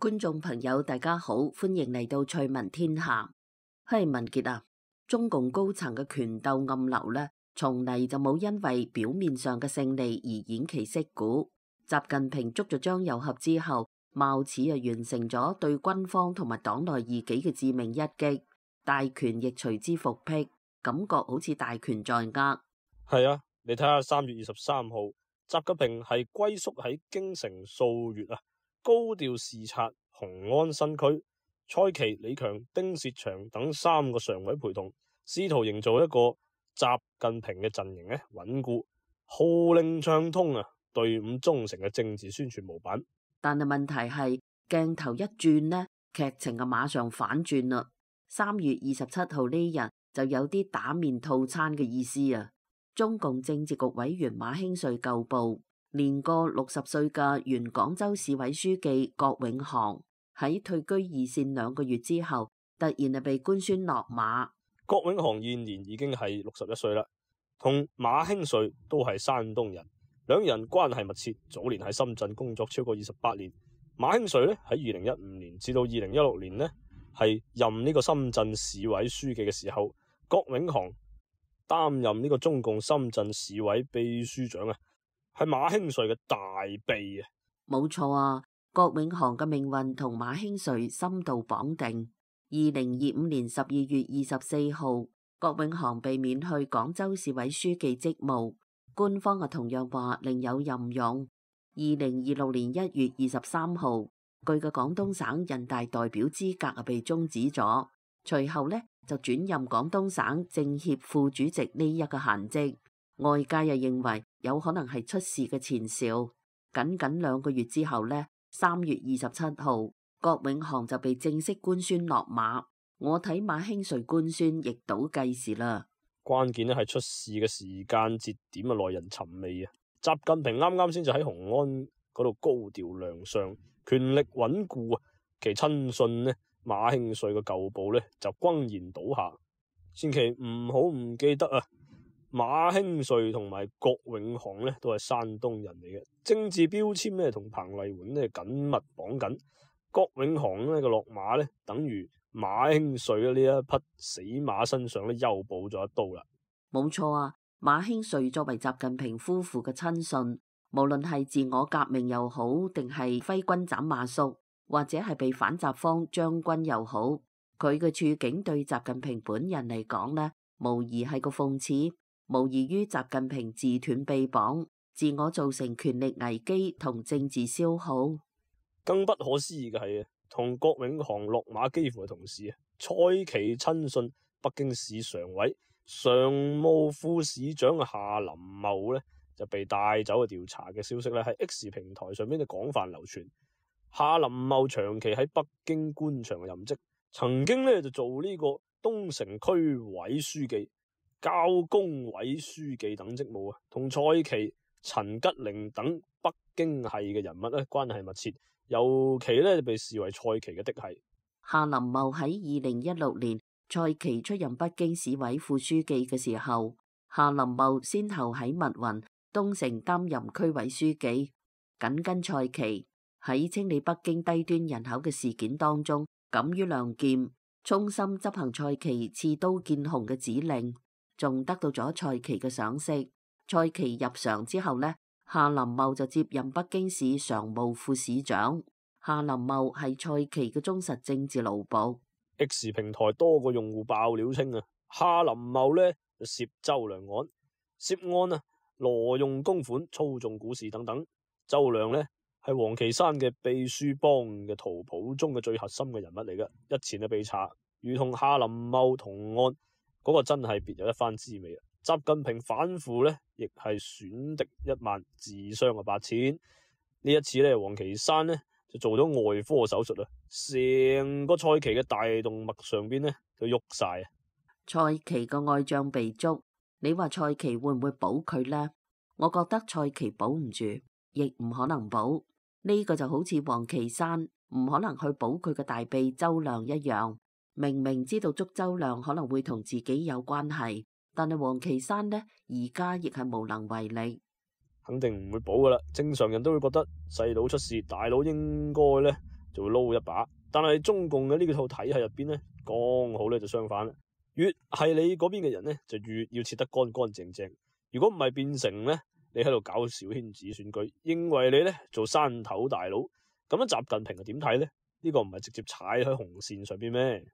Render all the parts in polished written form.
觀眾朋友，大家好，歡迎嚟到趣聞天下。文傑啊，中共高層嘅權鬥暗流呢，從嚟就冇因為表面上嘅勝利而偃旗息鼓。習近平捉咗張又俠之後，貌似完成咗對軍方同埋黨內異己嘅致命一擊，大權亦隨之復辟，感覺好似大權在握。係啊，你睇下3月23號，習近平係龜縮喺京城數月啊，高調視察雄安新區，蔡奇、李強、丁薛祥等3個常委陪同，試圖營造一個習近平嘅陣營呢穩固、號令暢通啊，隊伍忠誠嘅政治宣傳模板。但係問題係鏡頭一轉呢，劇情就馬上反轉啦。3月27號呢日就有啲打面套餐嘅意思啊！中共政治局委員馬興瑞舊部，年過60歲嘅原廣州市委書記郭永航喺退居二線2個月之後，突然係被官宣落馬。郭永航現年已經係61歲啦，同馬興瑞都係山東人，兩人關係密切，早年喺深圳工作超過28年。馬興瑞咧喺2015年至到2016年呢係任呢個深圳市委書記嘅時候，郭永航擔任呢個中共深圳市委秘書長啊，係馬興瑞嘅大秘啊。冇錯啊，郭永航嘅命運同馬興瑞深度綁定。2025年12月24號，郭永航被免去廣州市委書記職務，官方同樣話另有任用。2026年1月23號，佢嘅廣東省人大代表資格被終止咗，隨後呢就轉任廣東省政協副主席呢一個閒職。外界又認為有可能係出事嘅前兆。僅僅2個月之後呢，3月27號，郭永航就被正式官宣落馬。我睇馬興瑞官宣亦倒計時啦。關鍵咧係出事嘅時間節點啊，耐人尋味啊！習近平啱啱先就喺雄安嗰度高調亮相，權力穩固啊，其親信呢馬興瑞嘅舊部呢就轟然倒下。千祈唔好唔記得啊！馬興瑞同埋郭永航呢都係山東人嚟嘅，政治標籤呢同彭麗媛呢緊密綁緊。郭永航呢個落馬呢，等於馬興瑞呢一匹死馬身上呢又補咗一刀啦。冇錯啊！馬興瑞作為習近平夫婦嘅親信，無論係自我革命又好，定係揮軍斬馬謖，或者係被反習方將軍又好，佢嘅處境對習近平本人嚟講呢，無疑係個諷刺，無異於習近平自斷臂膀，自我造成權力危機同政治消耗。更不可思議嘅係同郭永航落馬幾乎係同時啊，蔡奇親信北京市常委、常務副市長夏林茂呢就被帶走去調查嘅消息呢喺 X 平台上面就廣泛流傳。夏林茂長期喺北京官場任職，曾經呢就做呢個東城區委書記、交工委書記等職務啊，同蔡奇、陳吉寧等北京系嘅人物呢關係密切，尤其呢就被視為蔡奇嘅嫡系。夏林茂喺2016年蔡奇出任北京市委副書記嘅時候，夏林茂先後喺密雲、東城擔任區委書記，緊跟蔡奇喺清理北京低端人口嘅事件當中敢於亮劍，衷心執行蔡奇刺刀見紅嘅指令，仲得到咗蔡奇嘅賞識。蔡奇入常之後呢，夏林茂就接任北京市常務副市長。夏林茂係蔡奇嘅忠實政治奴僕。X 平台多個用戶爆料稱啊，夏林茂呢涉周良案，涉案啊挪用公款、操縱股市等等。周良呢係王岐山嘅秘書幫嘅圖譜中嘅最核心嘅人物嚟嘅，日前就被查，如同夏林茂同案，嗰個真係別有一番滋味啊！習近平反腐呢亦係損敵1萬，自傷8000。呢一次呢，王岐山呢就做咗外科手術啊，成個蔡奇嘅大動脈上邊呢都喐晒啊！蔡奇個外將被捉，你話蔡奇會唔會保佢呢？我覺得蔡奇保唔住，亦唔可能保。呢個就好似王岐山唔可能去保佢嘅大秘周亮一樣，明明知道捉周亮可能會同自己有關係，但係王岐山呢而家亦係無能為力。肯定唔會保噶啦，正常人都會覺得細佬出事，大佬應該呢就會撈一把。但係中共嘅呢套體系入邊咧，剛好咧就相反啦。越係你嗰邊嘅人咧，就越要切得乾乾淨淨。如果唔係變成咧，你喺度搞小圈子選舉，認為你咧做山頭大佬，咁樣習近平係點睇咧？呢個唔係直接踩喺紅線上邊咩？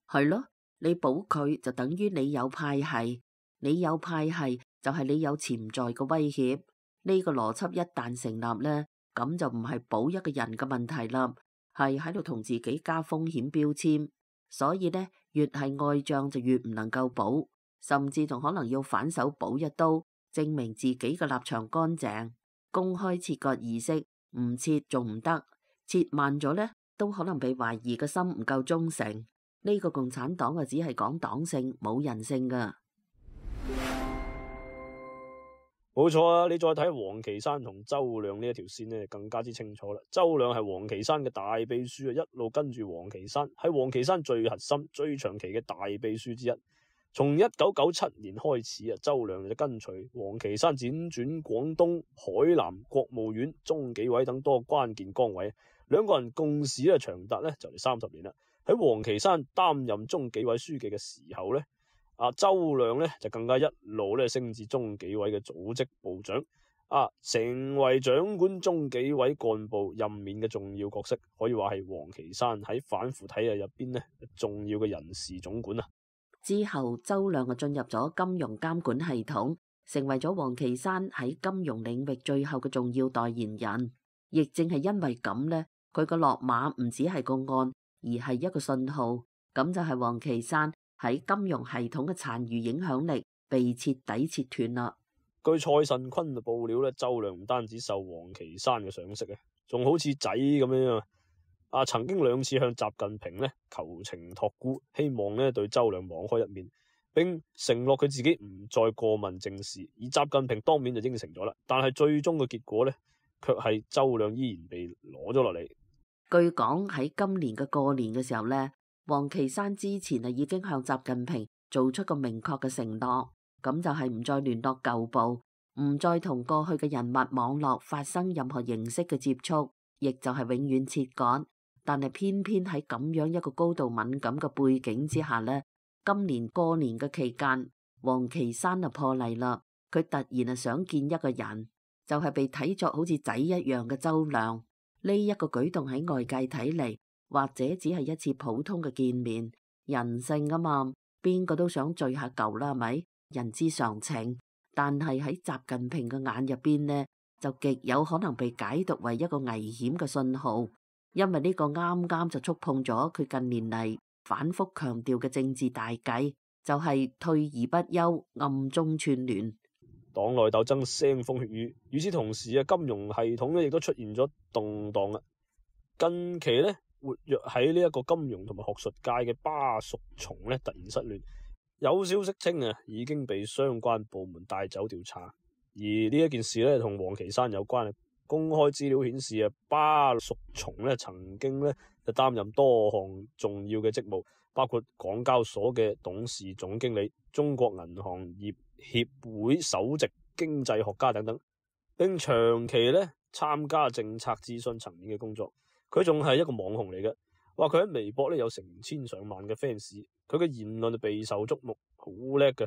係咯，你保佢就等於你有派系，你有派系就係你有潛在嘅威脅。呢個邏輯一旦成立咧，咁就唔係保一個人嘅問題啦，係喺度同自己加風險標籤。所以咧，越係外將就越唔能夠保，甚至仲可能要反手補一刀，證明自己嘅立場乾淨。公開切割儀式唔切仲唔得，切慢咗咧，都可能被懷疑嘅心唔夠忠誠。呢個共產黨啊，只係講黨性冇人性噶。冇錯啊！你再睇王岐山同周亮呢一條線呢，更加之清楚啦。周亮係王岐山嘅大秘書啊，一路跟住王岐山，係王岐山最核心、最長期嘅大秘書之一。從1997年開始啊，周亮就跟隨王岐山輾轉廣東、海南、國務院、中紀委等多關鍵崗位，兩個人共事咧長達咧就嚟30年啦。喺王岐山擔任中紀委書記嘅時候咧，周亮咧就更加一路咧升至中紀委嘅組織部長，成為掌管中紀委幹部任免嘅重要角色，可以話係王岐山喺反腐體系入邊咧重要嘅人事總管啊。之後，周亮就進入咗金融監管系統，成為咗王岐山喺金融領域最後嘅重要代言人。亦正係因為咁呢，佢個落馬唔只係個案，而係一個信號。咁就係王岐山喺金融系統嘅殘餘影響力被徹底切斷啦。據蔡慎坤嘅報料咧，周亮唔單止受王岐山嘅賞識啊，仲好似仔咁樣曾經2次向習近平咧求情託孤，希望咧對周亮網開一面，並承諾佢自己唔再過問政事。而習近平當面就應承咗啦，但係最終嘅結果咧，卻係周亮依然被攞咗落嚟。據講喺今年嘅過年嘅時候呢，王岐山之前已經向習近平做出個明確嘅承諾，咁就係唔再聯絡舊部，唔再同過去嘅人物網絡發生任何形式嘅接觸，亦就係永遠切割。但係偏偏喺咁樣一個高度敏感嘅背景之下呢，今年過年嘅期間，王岐山就破例啦，佢突然想見一個人，就係被睇作好似仔一樣嘅周亮。呢一個舉動喺外界睇嚟，或者只係一次普通嘅見面，人性啊嘛，邊個都想聚下舊啦，係咪？人之常情。但係喺習近平嘅眼入邊呢，就極有可能被解讀為一個危險嘅信號。因為呢個啱啱就觸碰咗佢近年嚟反覆強調嘅政治大計，就係退而不休，暗中串聯。黨內鬥爭腥風血雨，與此同時金融系統咧亦都出現咗動盪。近期咧活躍喺呢一個金融同埋學術界嘅巴淑松咧突然失聯，有消息稱已經被相關部門帶走調查。而呢一件事咧同王岐山有關。公開資料顯示巴淑松咧曾經咧就擔任多項重要嘅職務，包括港交所嘅董事總經理、中國銀行業協會首席經濟學家等等，並長期咧參加政策諮詢層面嘅工作。佢仲係一個網紅嚟嘅，話佢喺微博咧有成千上萬嘅 fans， 佢嘅言論就備受矚目，好叻嘅。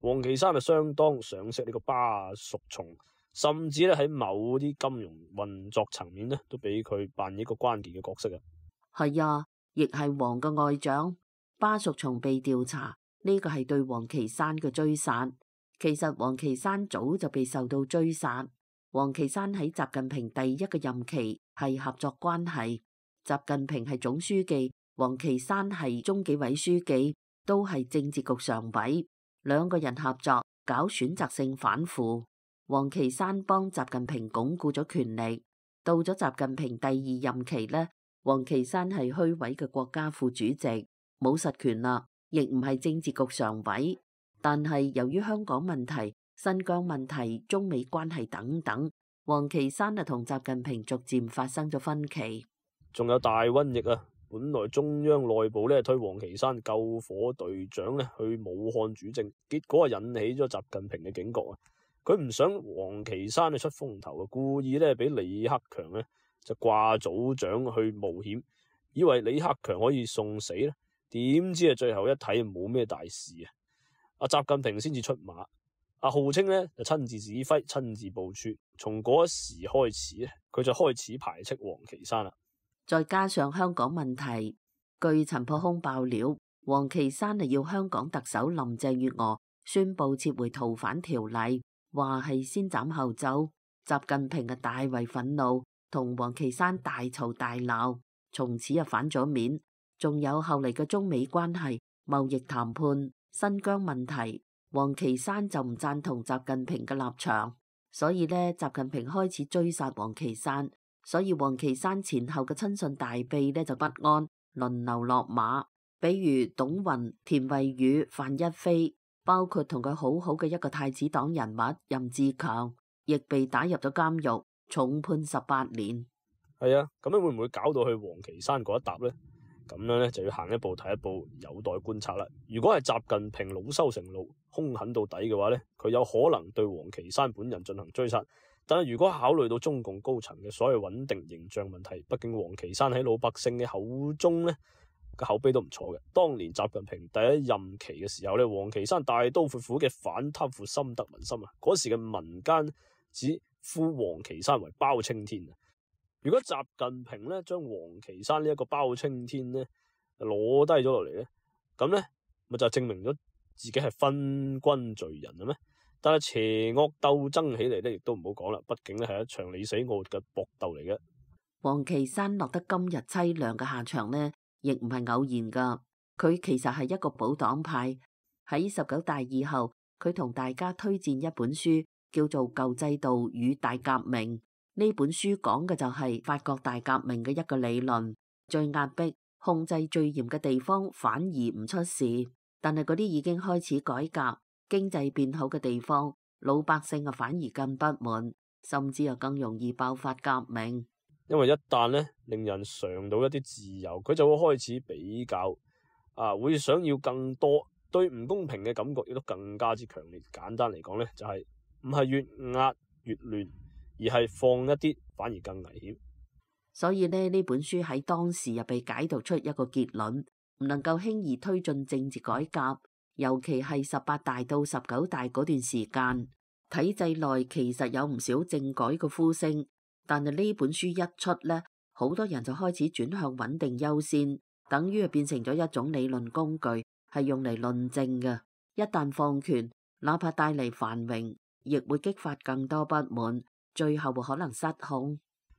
王岐山相當賞識呢個巴淑松。甚至咧喺某啲金融運作層面咧，都俾佢扮演一個關鍵嘅角色啊。係啊，亦係王嘅外長巴淑松被調查，呢個係對王岐山嘅追殺。其實王岐山早就被受到追殺。王岐山喺習近平第一個任期係合作關係，習近平係總書記，王岐山係中紀委書記，都係政治局常委，兩個人合作搞選擇性反腐。王岐山幫習近平鞏固咗權力，到咗習近平第2任期呢，王岐山係虛位嘅國家副主席，冇實權啦，亦唔係政治局常委。但係由於香港問題、新疆問題、中美關係等等，王岐山同習近平逐漸發生咗分歧。仲有大瘟疫啊！本來中央內部咧推王岐山救火隊長咧去武漢主政，結果引起咗習近平嘅警覺啊！佢唔想王岐山出風頭啊，故意咧俾李克強咧就掛組長去冒險，以為李克強可以送死咧，點知最後一睇冇咩大事啊！阿習近平先至出馬，號稱咧就親自指揮、親自部署。從嗰一時開始咧，佢就開始排斥王岐山啦。再加上香港問題，據陳破空爆料，王岐山係要香港特首林鄭月娥宣布撤回逃犯條例，話係先斬後奏。習近平嘅大為憤怒，同王岐山大嘈大鬧，從此反咗面。仲有後嚟嘅中美關係、貿易談判、新疆問題，王岐山就唔贊同習近平嘅立場，所以呢，習近平開始追殺王岐山。所以王岐山前後嘅親信大秘呢就不安，輪流落馬，比如董雲、田惠宇、范一飛，包括同佢好好嘅一個太子黨人物任志強，亦被打入咗監獄，重判18年。係啊，咁樣會唔會搞到去王岐山嗰一搭呢？咁樣呢，就要行一步睇一步，有待觀察啦。如果係習近平惱羞成怒、兇狠到底嘅話呢，佢有可能對王岐山本人進行追殺。但係如果考慮到中共高層嘅所謂穩定形象問題，畢竟王岐山喺老百姓嘅口中呢個口碑都唔錯嘅。當年習近平第一任期嘅時候呢，王岐山大刀闊斧嘅反貪腐深得民心啊！嗰時嘅民間只呼王岐山為包青天啊！如果習近平呢將王岐山呢一個包青天呢攞低咗落嚟呢，咁呢咪就證明咗自己係昏君罪人啦咩？但係邪惡鬥爭起嚟呢，亦都唔好講啦。畢竟呢係一場你死我活嘅搏鬥嚟嘅。王岐山落得今日淒涼嘅下場呢，亦唔係偶然噶。佢其實係一個保黨派。喺19大以後，佢同大家推薦一本書，叫做《舊制度與大革命》。呢本書講嘅就係法國大革命嘅一個理論，最壓迫、控制最嚴嘅地方反而唔出事，但係嗰啲已經開始改革、經濟變好嘅地方，老百姓反而更不滿，甚至更容易爆發革命。因為一旦呢令人嘗到一啲自由，佢就會開始比較，會想要更多，對唔公平嘅感覺亦都更加之強烈。簡單嚟講呢，就係唔係越壓越亂，而係放一啲反而更危險。所以呢本書喺當時又被解讀出一個結論，唔能夠輕易推進政治改革。尤其係18大到19大嗰段時間，體制內其實有唔少政改嘅呼聲，但係呢本書一出呢，好多人就開始轉向穩定優先，等於變成咗一種理論工具，係用嚟論證嘅。一旦放權，哪怕帶嚟繁榮，亦會激發更多不滿，最後可能失控。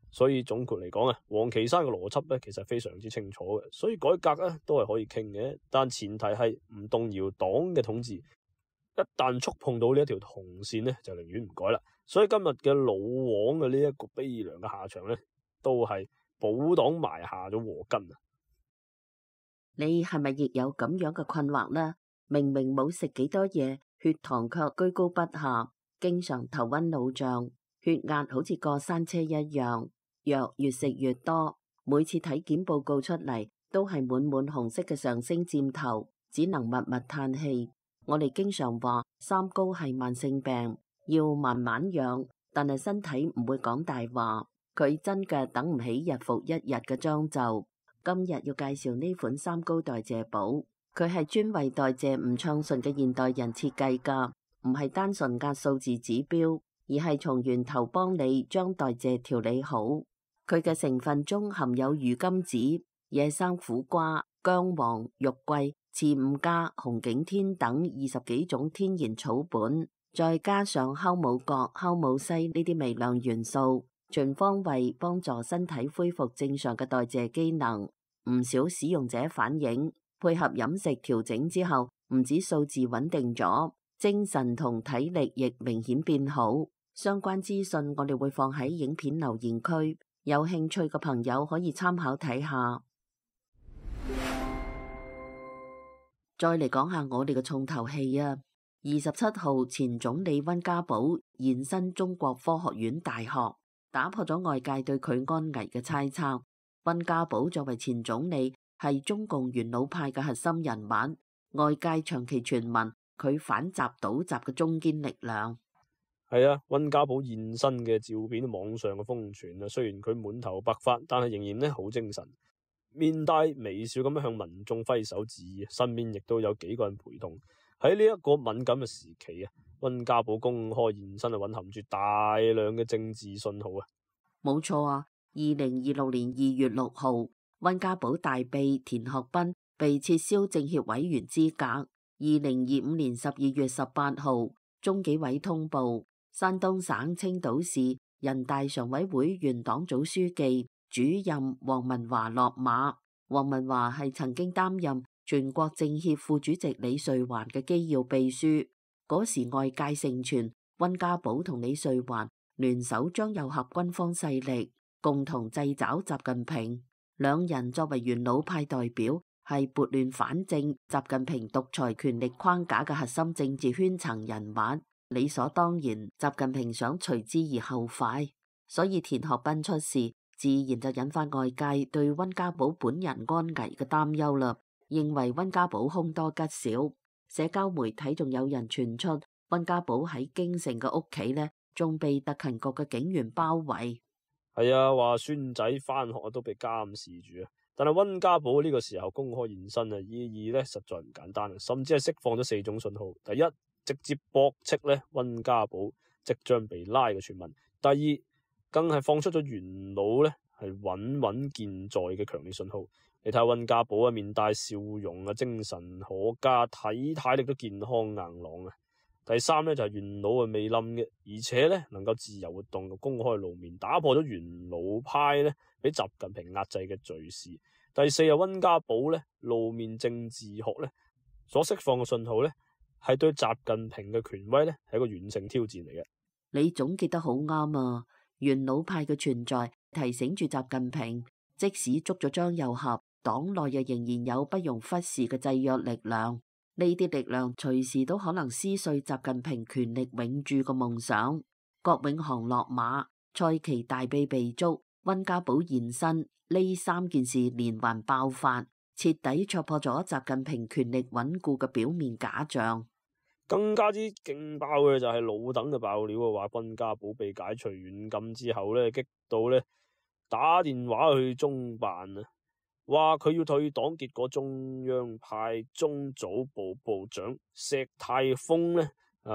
所以總括嚟講王岐山嘅邏輯咧，其實非常之清楚嘅，所以改革咧都係可以傾嘅，但前提係唔動搖黨嘅統治。一旦觸碰到呢一條紅線咧，就寧願唔改啦。所以今日嘅老王嘅呢一個悲涼嘅下場咧，都係保黨埋下咗禍根啊！你係咪亦有咁樣嘅困惑呢？明明冇食幾多嘢，血糖卻居高不下，經常頭暈腦脹，血壓好似過山車一樣。藥越食越多，每次體檢報告出嚟都係滿滿紅色嘅上升箭頭，只能默默嘆氣。我哋經常話三高係慢性病，要慢慢養，但係身體唔會講大話，佢真嘅等唔起日復一日嘅將就。今日要介紹呢款三高代謝寶，佢係專為代謝唔暢順嘅現代人設計㗎，唔係單純壓數字指標，而係從源頭幫你將代謝調理好。佢嘅成分中含有魚甘子、野生苦瓜、薑黃、肉桂、刺五加、紅景天等20幾種天然草本，再加上酵母角、酵母硒呢啲微量元素，全方位幫助身體恢復正常嘅代謝機能。唔少使用者反映，配合飲食調整之後，唔止數字穩定咗，精神同體力亦明顯變好。相關資訊我哋會放喺影片留言區。有興趣嘅朋友可以參考睇下。再嚟講下我哋嘅重頭戲啊！27號前總理溫家寶現身中國科學院大學，打破咗外界對佢安危嘅猜測。溫家寶作為前總理，係中共元老派嘅核心人物，外界長期傳聞佢反習倒習嘅中堅力量。係啊，溫家寶現身嘅照片網上嘅瘋傳啊，雖然佢滿頭白髮，但係仍然咧好精神，面帶微笑咁樣向民眾揮手致意，身邊亦都有幾個人陪同。喺呢一個敏感嘅時期啊，溫家寶公開現身係蘊含住大量嘅政治信號啊。冇錯啊！2026年2月6號，溫家寶大秘田學斌被撤銷政協委員資格。2025年12月18號，中紀委通報，山東省青島市人大常委會原黨組書記主任黃文華落馬。黃文華係曾經擔任全國政協副主席李瑞環嘅機要秘書。嗰時外界盛傳溫家寶同李瑞環聯手將糅合軍方勢力，共同掣肘習近平。兩人作為元老派代表，係撥亂反正習近平獨裁權力框架嘅核心政治圈層人物，理所當然習近平想隨之而後快，所以田學斌出事，自然就引發外界對溫家寶本人安危嘅擔憂啦，認為溫家寶凶多吉少。社交媒體仲有人傳出溫家寶喺京城嘅屋企呢，仲被特勤局嘅警員包圍。係啊，話孫仔返學都被監視住啊！但係溫家寶呢個時候公開現身啊，意義咧實在唔簡單啊，甚至係釋放咗4種信號：第一，直接駁斥咧溫家寶即將被拉嘅傳聞；第二，更係放出咗元老咧係穩穩健在嘅強烈信號。你睇下溫家寶啊，面帶笑容啊，精神可嘉，體態力都健康硬朗啊。第三咧就係元老啊未冧嘅，而且咧能夠自由活動，公開露面，打破咗元老派咧俾習近平壓制嘅敘事。第四係溫家寶咧露面政治學咧所釋放嘅信號咧係對習近平嘅權威咧係一個軟性挑戰嚟嘅。你總結得好啱啊！元老派嘅存在提醒住習近平，即使捉咗張又俠，黨內又仍然有不容忽視嘅制約力量。呢啲力量隨時都可能撕碎習近平權力永駐嘅夢想。郭永航落馬，蔡奇大秘被捉，溫家寶現身，呢3件事連環爆發，徹底戳破咗習近平權力穩固嘅表面假象。更加之勁爆嘅就係老鄧嘅爆料啊，話溫家寶被解除軟禁之後咧，激到咧打電話去中辦啊！話佢要退黨，結果中央派中組部部長石泰峰呢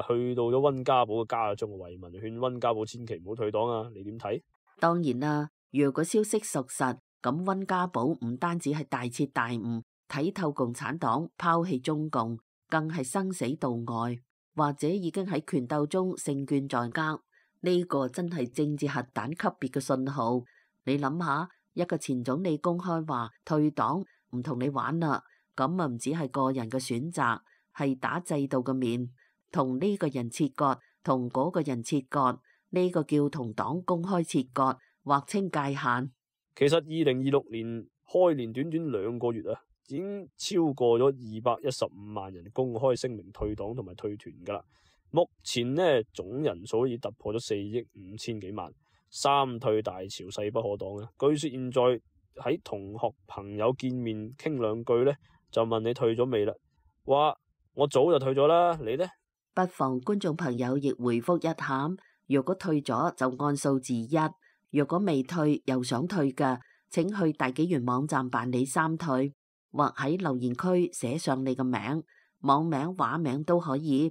去到咗溫家寶嘅家中慰問，勸溫家寶千祈唔好退黨啊！你點睇？當然啦，如果消息屬實，咁溫家寶唔單止係大徹大悟，睇透共產黨，拋棄中共，更係生死度外，或者已經喺權鬥中勝券在握。呢個真係政治核彈級別嘅信號。你諗下，一個前總理公開話退黨唔同你玩啦，咁啊唔只係個人嘅選擇，係打制度嘅面，同呢個人切割，同嗰個人切割，呢個叫同黨公開切割，劃清界限。其實2026年開年短短2個月啊，已經超過咗215萬人公開聲明退黨同埋退團噶啦。目前呢總人數已突破咗4億5千幾萬。三退大潮勢不可擋啊！據說現在喺同學朋友見面傾兩句呢，就問你退咗未啦？話我早就退咗啦，你呢？不妨觀眾朋友亦回覆一下，如果退咗就按數字1，如果未退又想退嘅，請去大紀元網站辦理3退，或喺留言區寫上你嘅名、網名、畫名都可以。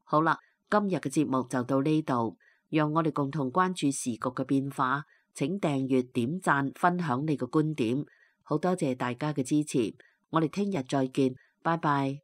好啦，今日嘅節目就到呢度。讓我哋共同關注時局嘅變化，請訂閱、點讚、分享你嘅觀點，好多謝大家嘅支持，我哋聽日再見，拜拜。